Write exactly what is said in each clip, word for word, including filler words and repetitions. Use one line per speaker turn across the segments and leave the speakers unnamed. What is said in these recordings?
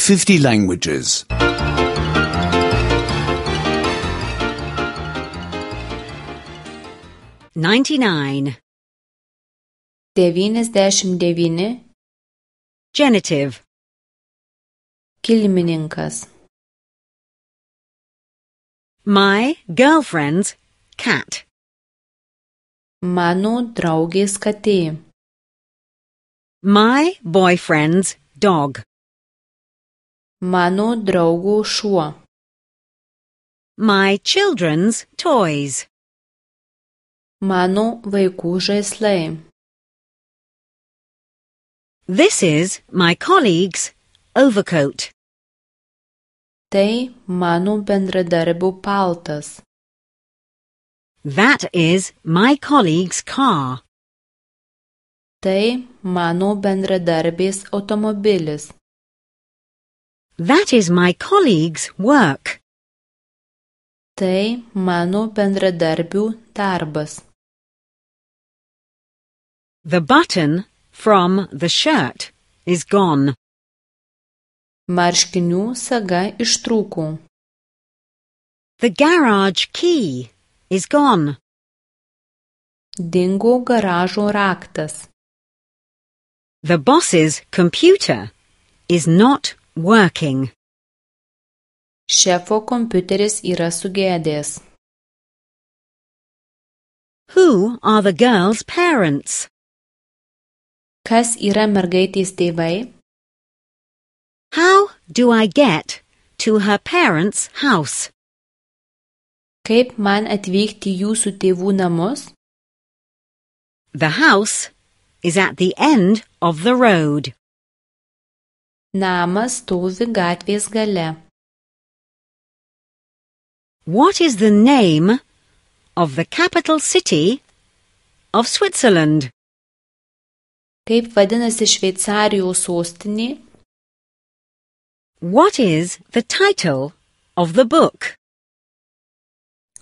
fifty languages.
ninety-nine.
devyniasdešimt devyni.
Genitive.
Kilmininkas.
My girlfriend's cat.
Mano draugės katė.
My boyfriend's dog.
Mano draugo šuo.
My children's toys.
Mano vaikų žaislai.
This is my colleague's overcoat.
Tai mano bendradarbio paltas.
That is my colleague's car.
Tai mano bendradarbės automobilis.
That is my colleague's work.
Tai mano bendradarbių darbas.
The button from the shirt is gone.
Marškinių saga ištrūko.
The garage key is gone.
Dingo garažo raktas.
The boss's computer is not working.
Šefo kompiuteris yra sugedęs.
Who are the girl's parents?
Kas yra mergaitės tėvai?
How do I get to her parents' house?
Kaip man atvykti jūsų tėvų namus?
The house is at the end of the road.
Namas stovi gatvės gale.
What is the name of the capital city of Switzerland?
Kaip vadinasi Šveicarijos sostinė?
What is the title of the book?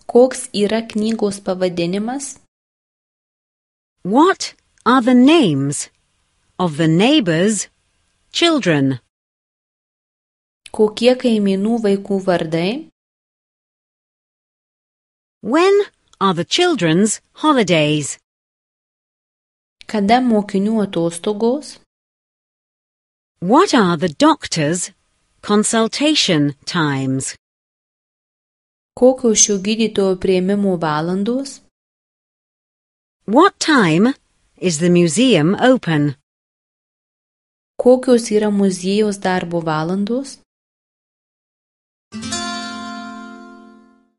Koks yra knygos pavadinimas?
What are the names of the neighbors' children?
Kokie kaimynų vaikų vardai?
When are the children's holidays?
Kada mokinių atostogos?
What are the doctor's consultation times?
Kokios šio gydytojo priėmimo valandos?
What time is the museum open?
Kokios yra muziejaus darbo valandos?